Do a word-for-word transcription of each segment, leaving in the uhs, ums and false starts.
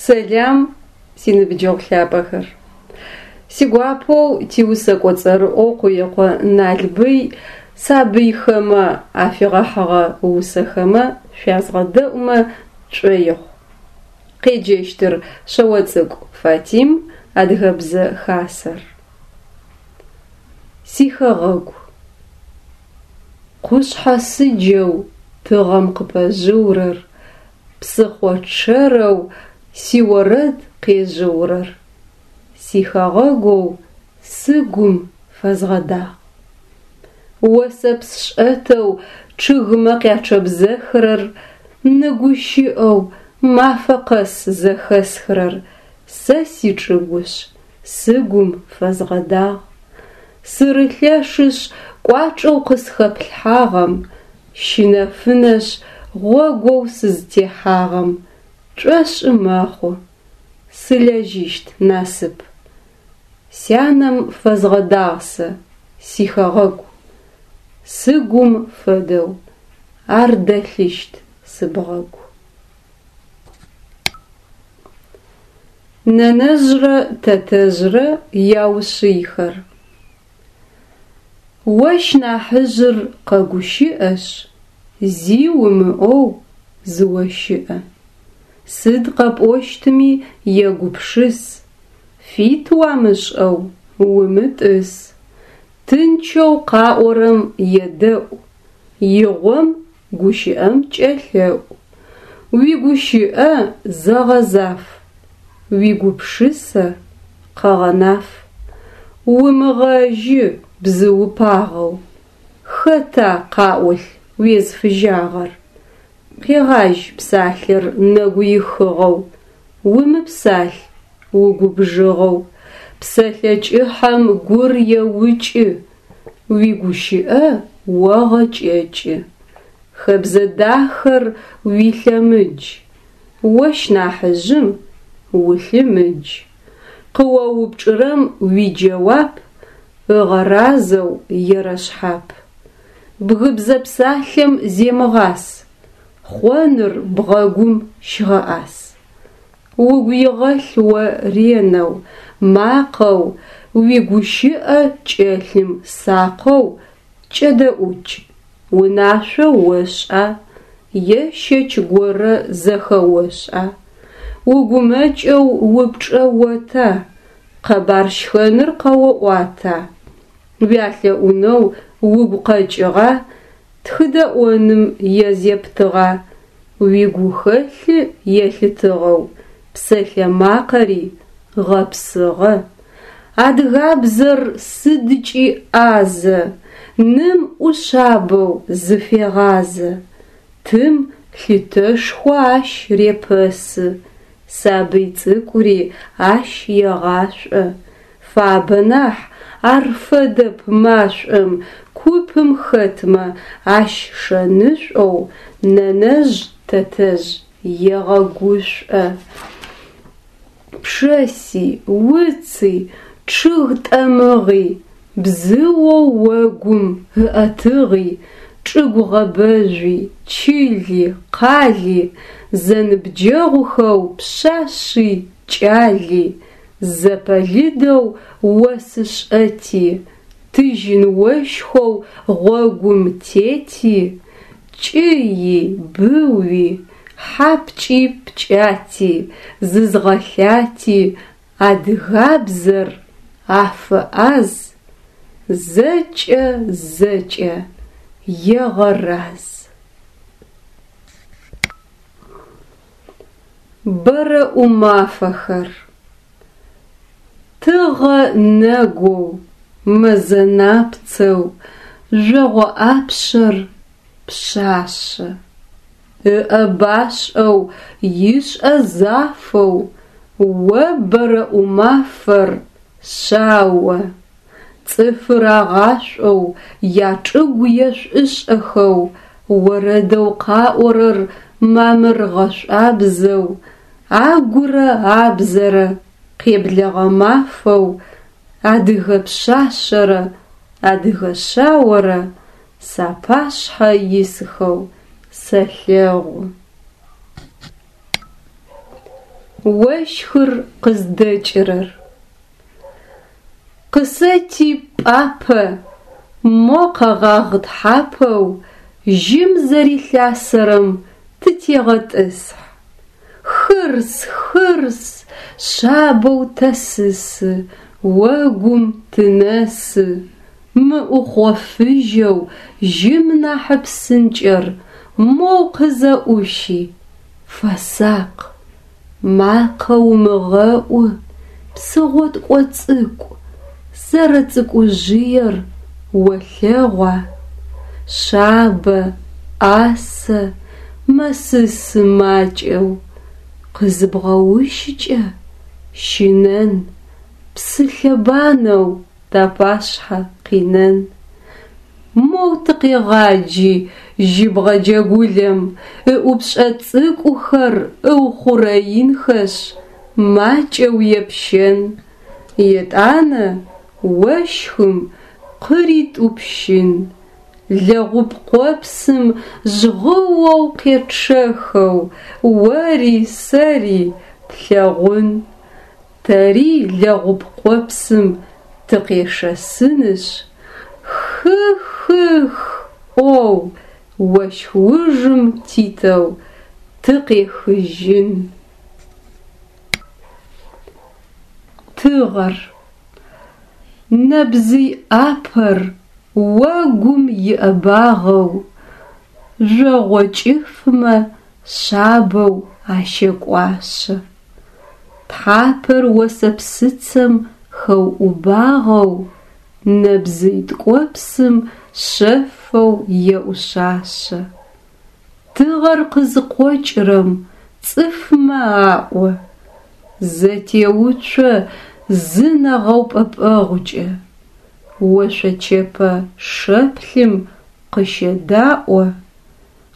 Сэлам, синыбджэгъу лъапӏэхэр. Сигуапэу тиусэкӏо цӏэрыӏоу Къуекъо Налбый сабыйхэмэ афигъэхьыгъэ усэхэмэ шъуязгъэдэӏумэ тшӏоигъу. Къеджэщтыр Шъэоцӏыкӏу Фатим, Адыгэбзэ Хасэр. Сихэгъэгу. Къушъхьэ сыджэу тыгъэм къыпэжъыурэр, псыхъо чъэрэу сиорэд къежъыурэр сихэгъэгоу сыгум фэзгъэдагъ. Осэпс шӏэтэу чъыгымэ къячъэбзэхырэр, ны гущыӏэу мафэ къэс зэхэсхырэр сэ сичӏыгушъ, сыгум фэзгъэдагъ. Сырылъэшышъ, кӏуачӏэу къысхэплъхьагъэм, щынэфынэшъ гъогоу сызтехьагъэм, тшӏошӏы мэхъу, сылэжьыщт насып. Сянэм фэзгъэдагъ сэ сихэгъэгу, сыгум фэдэу ар дэлъыщт сыбгъэгу. Нэнэжърэ тэтэжърэ яушъыйхэр. Ощ нахьыжъыр къэгущыӏэшъ, зи умыӏоу зыощыӏэ. Сыд къэпӏощтми егупшыс, фит уамышӏэу умытӏыс. Тынчэу къаӏорэм едэӏу, игъом гущыӏэм кӏэлъэӏу. Уигущыӏэ зэгъэзаф, уигупшысэ къэгъэнаф. Умыгъэжьы бзыупагъэу, хэта къаӏолъ уезфыжьагъэр? Къегъажь псалъэр нэгуихыгъэу, умыпсалъ угубжыгъэу. Псэлъэ кӏыхьэм гур еукӏы, уигущыӏэ огъэкӏэкӏы. Хэбзэ дахэр уилъэмыдж, ощ нахьыжъым улъымыдж. Къыоупчӏырэм уиджэуап ыгъэразэу ерэшъхьап. Бгыбзэ псалъэм земыгъас, хъоныр бгъэгум щыгъэӏас. Угу игъэлъ о ренэу, макъэу, уигущыӏэ кӏэлъым сакъэу кӏэдэӏукӏ. Унашъо ошӏа е щэч горэ зэхэошӏа? Угумэкӏэу упчӏэ ота? Къэбар щхэныр къэоӏуата? Уялъэӏунэу угу къэкӏыгъа? Тхыдэӏоным езептыгъа? Уигухэлъы елъытыгъэу псэлъэ макъэри гъэпсыгъэ. Адыгабзэр сыдкӏи ӏазэ, ным ӏушъабэу зыфегъазэ. Тым лъытэшхо ащ репэсы, сабый цӏыкӏури ащ егъашӏо. Фабэ нахь, ар фэдэп машӏом, купым хэтмэ ащ шэнышӏоу нэнэжъ тэтэжъ егъэгушӏо. Пшэси, уци, чъыг тӏэмыгъи, бзыоу огум ыӏэтыгъи, чӏыгу гъэбэжъуи, чыли, къали, зэныбджэгъухэу пшъашъи кӏали, зэпэлыдэу осы шӏэти, тыжьын ощхэу гъогум тети, кӏыи, быуи, хьапкӏи-пкӏати, зызгъэлъати адыгабзэр афэӏаз, зэкӏэ зэкӏэ егъэраз. Бэрэӏумафэхэр. Тыгъэ нэгоу, мэзэ напцэу, жъогъо ӏапшъэр пшъашъэ. Ыӏэ башӏэу, ишӏэ зафэу, о бэрэӏумафэр шъао. Цӏыфыр агъашӏоу, ячӏыгу ешӏушӏэхэу, орэдэу къаӏорэр мамыр гъэшӏуабзэу, агурэ абзэрэ къеблэгъэ мафэу, адыгэ пшъашъэрэ адыгэ шъаорэ сапашъхьэ исхэу сэлъэгъу. Ощхыр къыздэкӏырэр. Къысэти пӏапэ, мо къэгъагъ тхьапэу жьым зэрилъасэрэм тытегъэтӏысхь. Хырс, хырс, шъабэу тэсысы, огум тынэсы. Мы ӏухъо фыжьэу жьым нахьы псынкӏэр моу къызэӏущи, фэсакъ, макъэ умыгъэӏу, псы гъоткӏо цӏыкӏу, зэрэцӏыкӏужъыер олъэгъуа? Шъабэ, ӏасэ, мэсысы макӏэу, къызыбгъэущыкӏэ, щынэн, псы лъэбанэу тапашъхьэ къинэн. Моу тыкъегъаджи жьыбгъэ джэгулэм, ыӏупшӏэ цӏыкӏухэр ыухъурэинхэшъ, макӏэу епщэн, етӏанэ ощхым къыритӏупщын, лэгъуп къопсым жъгъыоу къечъэхэу ори сэри тлъэгъун. Тэри лэгъуп къопсым тыкъешэсынышъ, хы-хых ӏоу ощх ужым титэу тыкъехыжьын. Тыгъэр. Нэбзый ӏапэр огум иӏэбагъэу, жъогъо кӏыфмэ шъабэу ащэкӏуашъэ. Тхьапэр осэпсыцэм хэуӏубагъэу, нэбзый ткӏопсым шъэфэу еӏушъашъэ. Тыгъэр къызыкъокӏырэм цӏыфмэ аӏо: зэтеуцо зы нэгъэупӏэпӏэгъукӏэ, ошъочэпэ шэплъым къыщэдаӏо,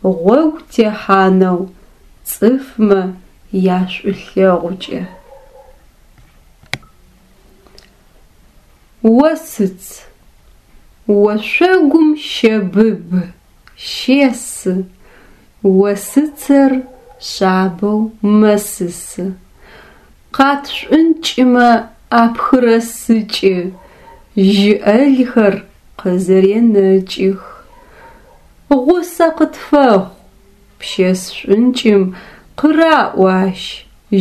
гъогу техьанэу цӏыфмэ яшӏулъэгъукӏэ. Осыц. Ошъогум щэбыбы, щесы, осыцэр шъабэу мэсысы. Къат шӏункӏымэ апхырэсыкӏы, жьы ӏэлхэр къызэренэкӏых. Гъусэ къытфэхъу, пщэс шӏункӏым къыраӏо ащ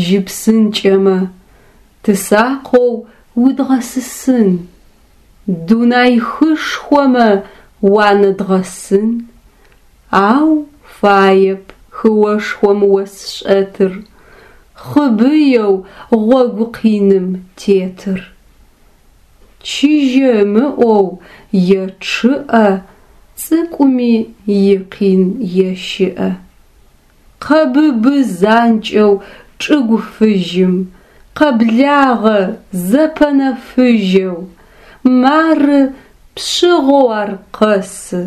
жьы псынкӏэмэ, тысакъэу удгъэсысын, дунай хышхомэ уанэдгъэсын. Ау фаеп хыошхом ос шӏэтыр, хъыбыеу гъогу къиным тетыр. Чыжьэ ымыӏоу ечъыӏэ, цӏыкӏуми икъин ещыӏэ. Къэбыбы занкӏэу чӏыгу фыжьым, къэблагъэ зэпэнэфыжьэу, мары пшъыгъэу ар къэсы,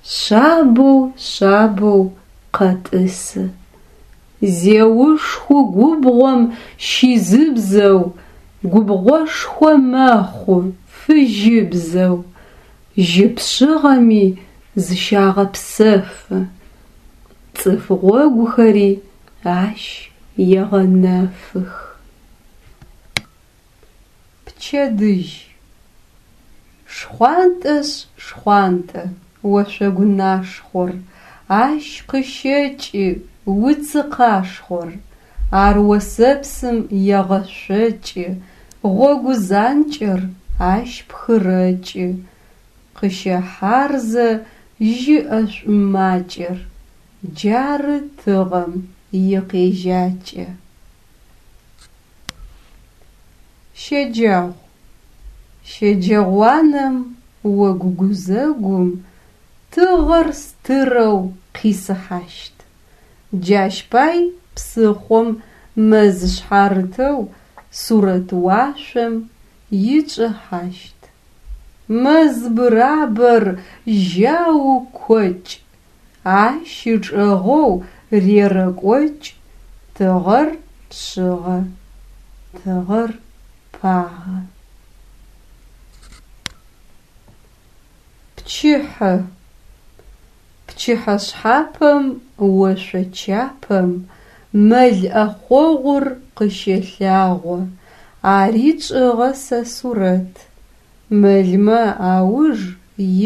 шъабэу, шъабэу къэтӏысы. Зеушху губгъом щизыбзэу, губгъошхо мэхъу фыжьыбзэу, жьы пшъыгъэми зыщагъэпсэфы, цӏыф гъогухэри ащ егъэнэфых. Пчэдыжь. Шхъуантӏэшъ шхъуантӏэ, ошъогу нашхъор, ащ къыщэкӏы уцы къашхъор. Ар осэпсым егъэшъокӏы, гъогу занкӏэр ащ пхырэкӏы, къыщэхьарзэ жьы ӏэшӏу макӏэр. Джары тыгъэм икъежьакӏэ. Щэджагъу. Щэджэгъуанэм огу гузэгум тыгъэр стырэу къисыхьащт. Джащ пай псыхъом мэз шъхьарытэу сурэт уашъом ичӏыхьащт. Мэз бырабэр жьау кокӏ, ащ ычӏэгъэу рерэкӏокӏ, тыгъэр пшъыгъэ, тыгъэр пагъэ. Пчыхьэ. Пчыхьэшъхьапэм ошъо чапэм Мэл ӏэхъогъур къыщэлъагъо, Ари тшӏыгъэ сэ сурэт. Мэлмэ ауж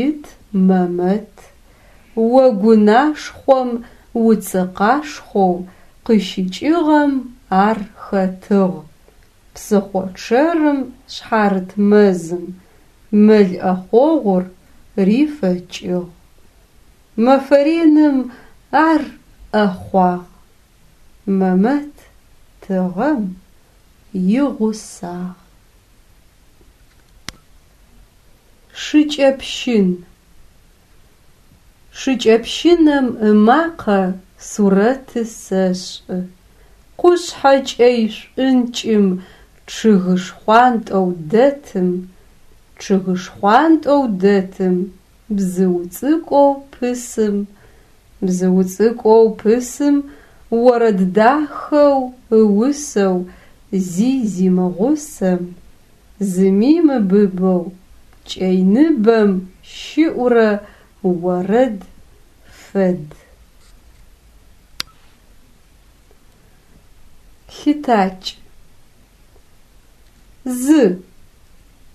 ит Мэмэт. Огу нашхъом уцы къашхъоу Къыщыкӏыгъэм ар хэтыгъ. Псыхъо чъэрым шъхьарыт мэзым Мэл ӏэхъогъур рифэкӏыгъ. Мэфэ реным ар ӏэхъуагъ, Мэмэт тыгъэм игъусагъ. Шыкӏэпщын. Шыкӏэпщынэм ымакъэ сурэты сэшӏы. Къушъхьэ кӏэй шӏункӏым чъыгы шхъуантӏэу дэтым, Чъыгы шхъуантӏэу дэтым бзыу цӏыкӏоу пысым, Бзыу цӏыкӏоу пысым орэд дахэу ыусэу Зи зимыгъусэм, зыми мыбыбэу кӏэй ныбэм щыӏурэ орэд фэд. Лъытакӏ. Зы.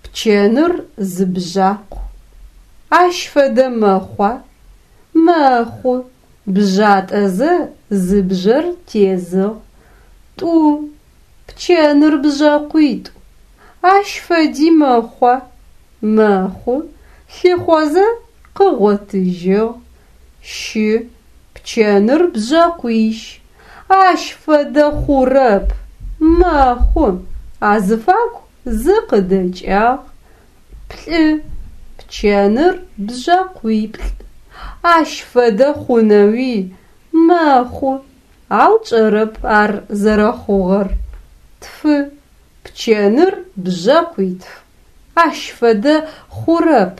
Пчэныр зы бжъакъу. Ащ фэдэ мэхъуа? Мэхъу. Бжъатӏэзэ зы бжъэр тезыгъ. Тӏу. Пчэныр бжъэкъуитӏу. Ащ фэди мэхъуа? Мэхъу. Лъыхъозэ къыгъотыжьыгъ. Щы. Пчэныр бжъэкъуищ. Ащ фэдэ хъурэп. Мэхъу. Азыфагу зы къыдэкӏагъ. Плӏы. Пчэныр бжъэкъуиплӏ. Ащ фэдэ хъунэуи? Мэхъу. Ау тшӏэрэп ар зэрэхъугъэр. Тфы. Пчэныр бжъэкъуитф. Ащ фэдэ хъурэп.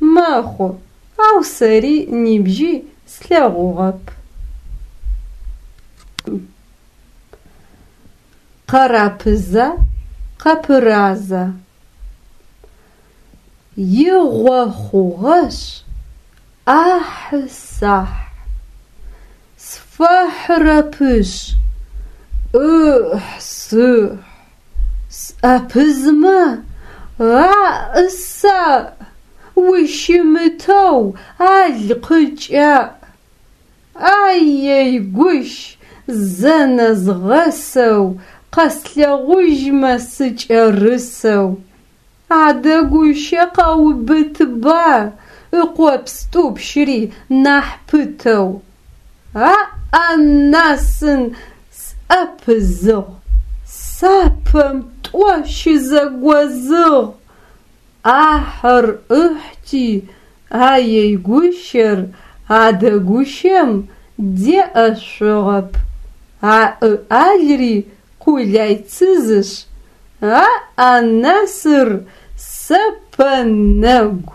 Мэхъу, ау сэри нибжьи слъэгъугъэп. Къэрапыза, къэпыраза? Игъо хъугъэшъ, ӏахьы-сахь, Сфэхьырэпышъ, ӏыхь-сыхь, Сӏэпызмэ, аӏ-саӏ, Ущымытэу ал къыкӏаӏ. Аей-гущ, зэ нэзгъэсэу, Къэслъэгъужьмэ сыкӏэрысэу. Адэ гущэ къэубытба, Ыкъопс тӏупщыри нахь пытэу. Аӏ-анасын, сӏэпызыгъ, Сапэм тӏо щызэгозыгъ. ӏахьыр ӏыхьти, аей гущэр, адэ гущэм деӏэшъугъэп. Аӏы-алри къулайцызышъ, аӏ-анасыр сэпэ нэгу.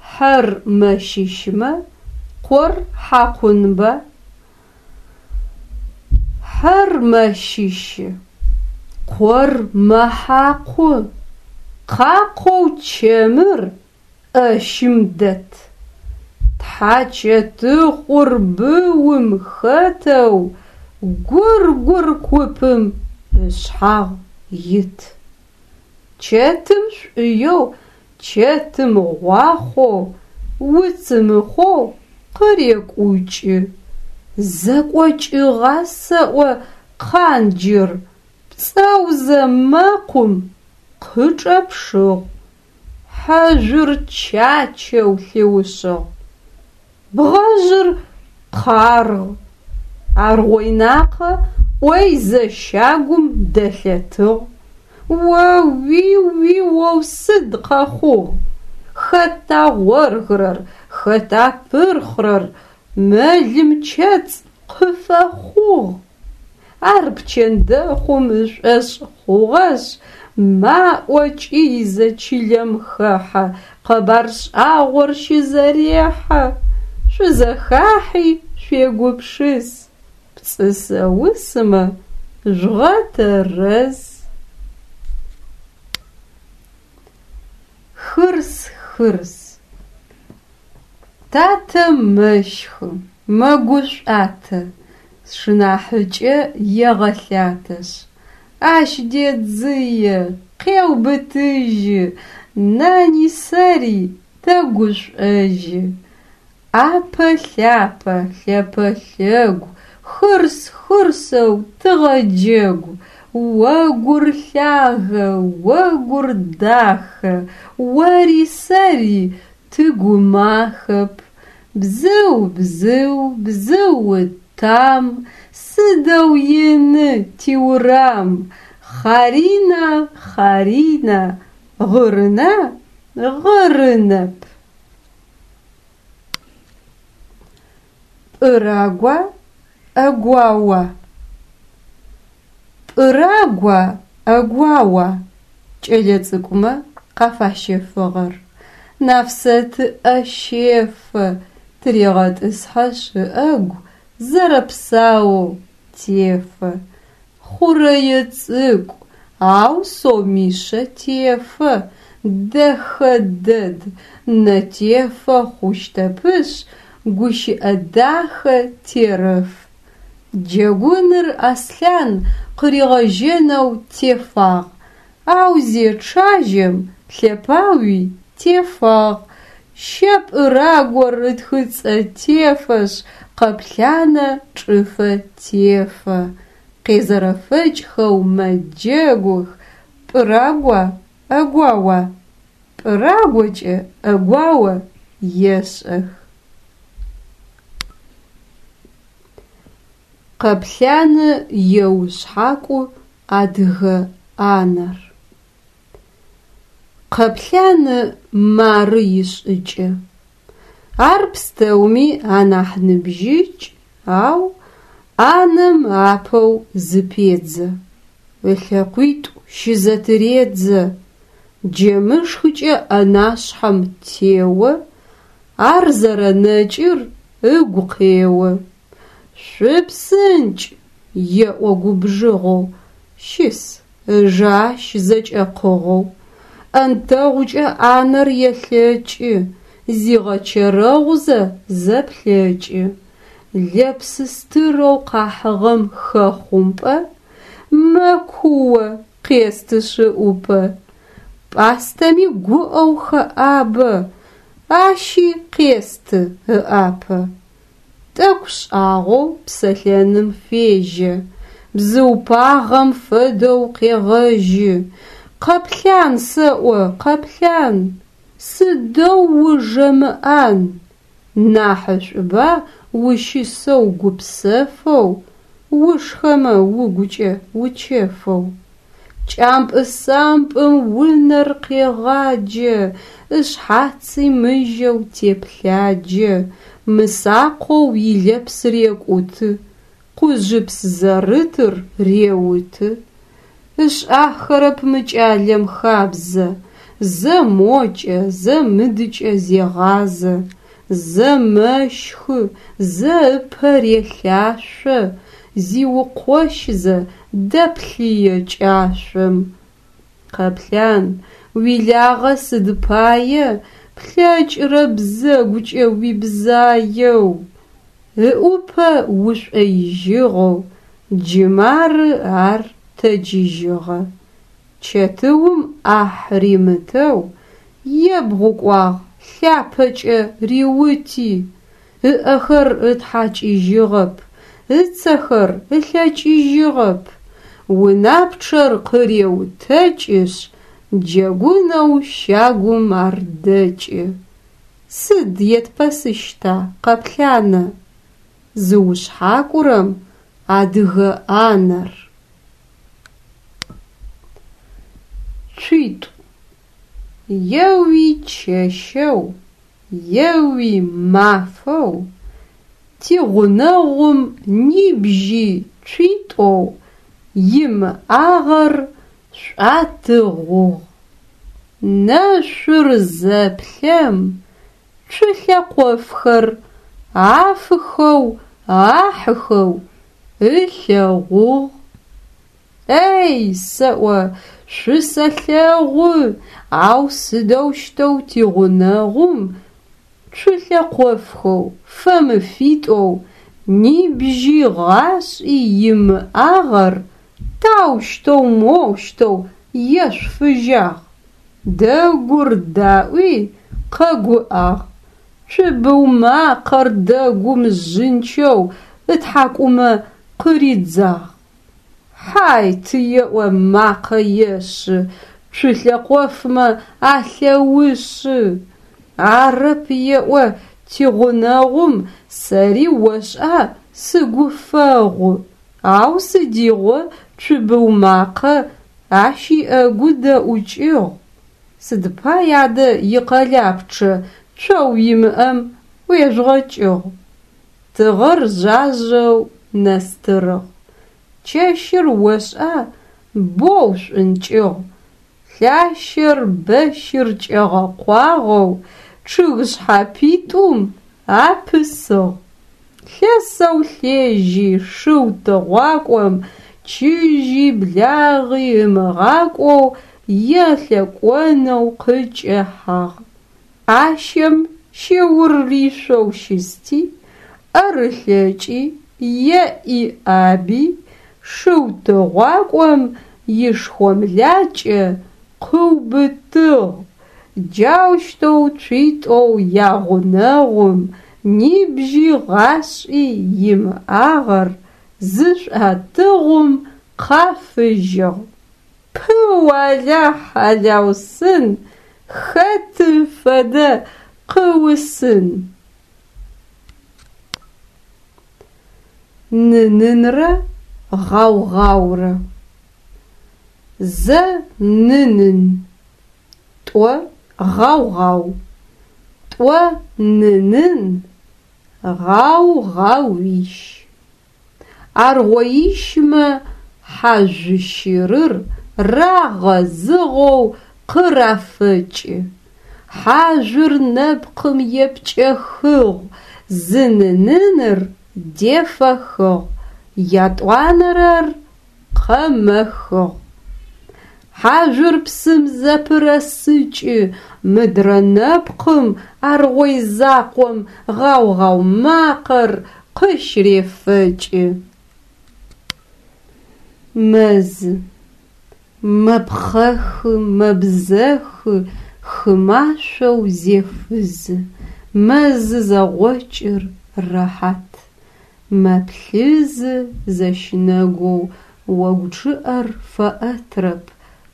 Хьэр мэщыщмэ къор хьакъунба? Хьэр мэщыщы, къор мэхьакъу. Къакъэу чэмыр ӏэщым дэт. Тхьачэтыхъур быум хэтэу гургур купым ышъхьагъ ит. Чэтым шӏуеу, чэтым гъуахъоу, уцым ыхъоу къырекӏукӏы. Зэкӏокӏыгъа сэӏо къанджыр, пцӏэузэ мэкъум къычӏэпшыгъ. Хьэжъур чачэу лъыушъыгъ. Бгъэжъыр къаргъ. Аргъой-Накъэ ӏойзэ щагум дэлъэтыгъ. О-уи-уи-оу сыд къэхъугъ? Хэта гъоргырэр, хэта пырхъырэр? Мэлым чэцӏ къыфэхъугъ. Ар пчэндэхъум ышӏошъ хъугъэшъ, маӏо кӏыйзэ чылэм хэхьэ, къэбар шӏагъор щызэрехьэ. Шъузэхахьи шъуегупшыс, пцӏы сэусымэ жъугъэтэрэз. Хырс-хырс. Татэ мэщхы, Мэгушӏуатэ, сшынахьыкӏэ егъэлъатэшъ, ащ дедзые, къеубытыжьы, нани сэри тэгушӏожьы. Ӏапэ-лъапэ, лъэпэ-лъэгу, хырс-хырсэу тыгъэджэгу. Огур лъагэ, огур дахэ, ори сэри тыгумахэп. Бзыу, бзыу, бзыу там, сыдэу ины тиурам. Хъарина, хъарина, гъырына, гъырынэп. Пӏырагуа, ӏэгуауа? Пӏырагуа, ӏэгуауа кӏэлэцӏыкӏумэ къафащэфыгъэр. Нафсэт ыӏэ щефэ, тырегъэтӏысхьэшъ ыӏэгу, зэрэпсаоу тефэ. Хъурэе цӏыкӏу, ау сомишъэ тефэ, дэхэ дэд, нэтефэ хъущтэпышъ, гущыӏэ дахэ терэф. Джэгуныр Аслъан къыригъэжьэнэу тефагъ, ау зечъажьэм лъэпауи тефагъ. Щэ пӏырагор ытхыцӏэ тефэшъ, Къэплъанэ чӏыфэ тефэ. Къезэрэфэкӏхэу мэджэгух: пӏырагуа, ӏэгуауа? Пӏырагокӏэ ӏэгуао ешӏэх. Къэплъанэ еушъхьакӏу адыгэ ӏанэр. Къэплъанэ мары ишӏыкӏэ. Ар пстэуми анахь ныбжьыкӏ, ау ӏанэм апэу зыпедзэ. Ылъэкъуитӏу щызэтыредзэ. Джэмышхыкӏэ ӏэнашъхьэм тео, ар зэрэнэкӏыр ыгу къео. Шъупсынкӏ! Еӏо губжыгъэу, щыс, ыжэ ащ зэкӏэкъыгъэу. Ӏэнтэгъукӏэ ӏанэр елъэкӏы, зигъэчэрэгъузэ зэплъэкӏы. Лэпсы стырэу къахьыгъэм хэхъумпӏэ, мэкуо, къестышъ ыӏупэ. Пӏастэми гуӏэу хэӏабэ, ащи къесты ыӏапэ. Тӏэкӏу шӏагъэу псэлъэным фежьэ, бзыу пагъэм фэдэу къегъэжьы. Къэплъан сэӏо, Къэплъан, сыдэу ужэмыӏан, нахьышӏуба ущысэу гупсэфэу, ушхэмэ угукӏэ учэфэу. Кӏампӏы-сампӏым унэр къегъаджэ, ышъхьаци мыжьэу теплъаджэ, мысакъэу илэпс рекӏуты, къужъыпс зэрытыр реуты. Ышӏахэрэп мы кӏалэм хабзэ, зэ мокӏэ, зэ мыдыкӏэ зегъазэ, зэ мэщхы, зэ ыпэ релъашъо, зиукъощзэ дэплъые кӏашъом. Къэплъан, уилагъэ сыд пае плъэкӏырэ бзэгукӏэ уибзаеу? Ыӏупэ ушӏоижьыгъэу джы мары ар тэджыжьыгъэ. Чэтыум ӏахь римытэу ебгъукӏуагъ лъапэкӏэ риути, ыӏэхэр ытхьакӏыжьыгъэп, ыцэхэр ылъэкӏыжьыгъэп. Унапчъэр къыреутэкӏышъ, джэгунэу щагум ар дэкӏы. Сыд етпэсыщта Къэплъанэ? Зыушъхьакӏурэм адыгэ ӏанэр. Цуитӏу. Еуи чэщэу, еуи мафэу, тигъунэгъум нибжьи цуитӏоу имыӏагъэр шӏуатыгъугъ. Нэшъур зэплъэм, цу лъэкъофхэр афыхэу ахьыхэу ылъэгъугъ. Эй, сэӏо, шъусэлъэгъу, ау сыдэущтэу тигъунэгъум Цулъэкъофхэу, фэмыфитӏоу нибжьи гъашӏи имыӏагъэр таущтэу моущтэу ешъуфыжьагъ? Дэгур даӏуи къэгуӏагъ, цубыу макъэр дэгум жъынчэу ытхьакӏумэ къыридзагъ. Хьайт еӏо макъэ ешӏы, цулъэкъофмэ алъэушъы. Арэп еӏо тигъунэгъум сэри ошӏа сыгу фэгъу, ау сыдигъо цубыу макъэ ащ иӏэгу дэӏукӏыгъ. Сыд пай адэ икъэлапчъэ цоу имыӏэм ӏуежъугъэкӏыгъ? Тыгъэр жъажъэу нэстырыгъ, чэщыр ошӏа боу шӏункӏыгъ, лъащэр бэщыр кӏэгъэкъуагъэу чъыг шъхьэпитӏум апысыгъ. Лъэсэу лъежьи шыу тыгъуакӏом чыжьи благъи ымыгъакӏоу елъэкӏонэу къыкӏэхьагъ. ӏащэм щэур ришъоу щысти, ӏэр ылъэкӏи, еӏи ӏаби шыу тыгъуакӏом ишхомлакӏэ къыубытыгъ. Джаущтэу цуитӏоу ягъунэгъум нибжьи гъашӏи имыӏагъэр зышӏуатыгъум къафыжьыгъ. Пыу алахь алаусын, хэты фэдэ къыусын. Нынынрэ гъау-гъаурэ. Зэ нынын, тӏо гъау-гъау, тӏо нынын, гъау-гъауищ. Аргъоищмэ хьажъущырыр рагъэзыгъэу къырафэкӏы. Хьажъур нэпкъым епкӏэхыгъ, зы ныныныр дефэхыгъ, ятӏуанэрэр къэмэхыгъ. Хьажъур псым зэпырэсыкӏы, мыдрэ нэпкъым аргъой закъом гъау-гъау макъэр къыщырефэкӏы. Мэзы. Мэпхъэхы, мэбзэхы, хы машъоу зефызы. Мэзы зэгъокӏыр рэхьат. Мэплъызы зэщынэгоу, огу чъыӏэр фэӏэтрэп,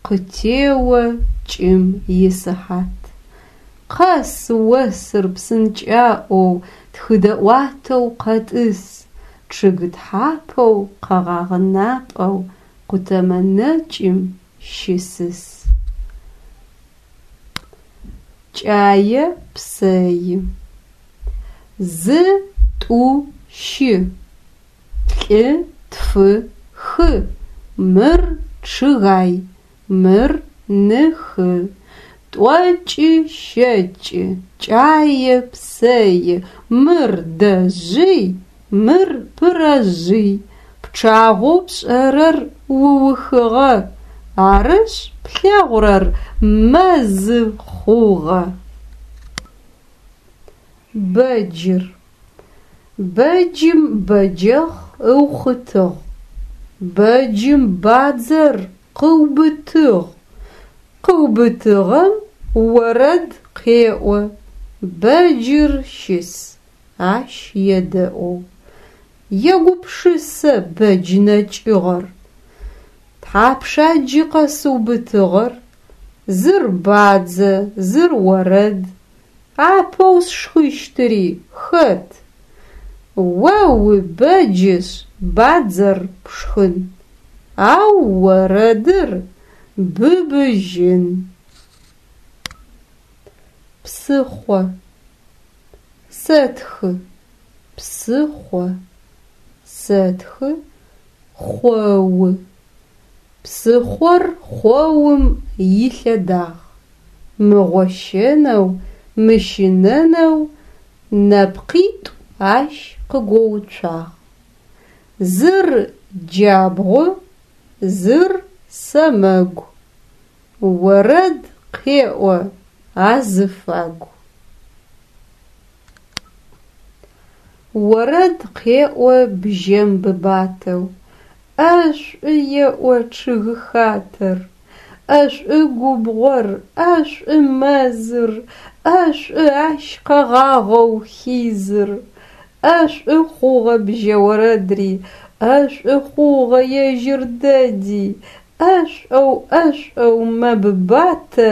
къытео кӏым исыхьат. Къэс осыр псынкӏаӏоу, тхыдэӏуатэу къэтӏыс, чъыг тхьапэу, къэгъагъ напӏэу къутэмэ нэкӏым щысыс. Кӏае псэи. Зы, тӏу, щы, плӏы, тфы, хы. Мыр чъыгай, мыр ныхы. Тӏокӏы, щэкӏы, кӏае псэи. Мыр дэжъый, мыр пырэжъый. Пчъагъэу пшӏэрэр уухыгъэ, арышъ плъэгъурэр мэзы хъугъэ. Бэджыр. Бэджым бэджэхъ ыухъытыгъ. Бэджым бадзэр къыубытыгъ. Къыубытыгъэм орэд къеӏо, бэджыр щыс, ащ едэӏоу. Егупшысэ бэдж нэкӏыгъэр. Тхьапша джы къэсыубытыгъэр? Зыр бадзэ, зыр орэд. Апэу сшхыщтыри хэт? О убэджышъ бадзэр пшхын, ау орэдыр быбыжьын. Псыхъо. Сэтхы. Псыхъо. Сэтхы. Хъоу. Псыхъор хъоум илъэдагъ. Мыгъощэнэу, мыщынэнэу нэпкъитӏу ащ къыгоуцуагъ. Зыр джабгъу, зыр сэмэгу. Орэд къеӏо азыфагу. Орэд къеӏо бжьэм быбатэу, ӏэшӏу еӏо чъыгхатэр, ӏэшӏу губгъор, ӏэшӏу мэзыр, ӏэшӏу ащ къэгъагъэу хизыр. ӏэшӏу хъугъэ бжьэ орэдри, ӏэшӏу хъугъэ ежьыр дэди, ӏэшӏоу, ӏэшӏоу мэбыбатэ,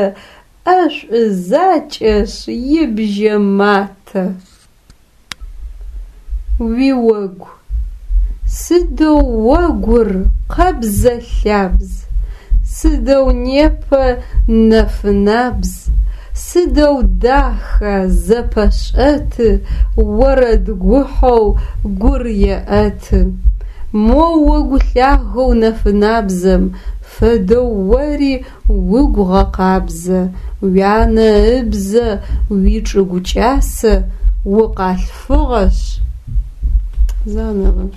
ӏэшӏу закӏэшъ ибжьэ матэ. Уиогу. Сыдэу огур къэбзэ-лъабз, Сыдэу непэ нэфынабз, Сыдэу даха, зэпэшӏэты, Орэд гухьэу гур еӏэты. Мо огу лъагэу нэфынабзэм Фэдэу ори угу гъэкъабзэ, Уянэ ыбзэ, уичӏыгу кӏасэ, Укъалъфыгъэшъ. Заново.